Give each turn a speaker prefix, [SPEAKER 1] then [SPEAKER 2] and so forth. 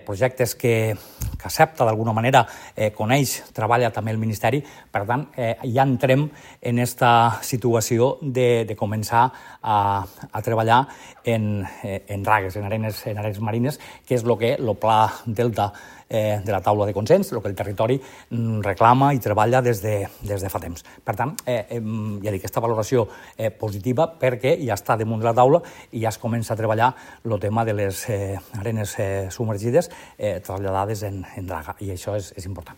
[SPEAKER 1] projectes que accepta d'alguna manera, coneix, treballa també el Ministeri. Per tant, ja entrem en aquesta situació de començar a treballar en dragues, en arenes marines, que és el que el Pla Delta de la taula de consens, el que el territori reclama i treballa des de fa temps. Per tant, ja dic, aquesta valoració positiva perquè ja està damunt de la taula i ja es comença a treballar el tema de les arenes submergides traslladades en draga, i això és important.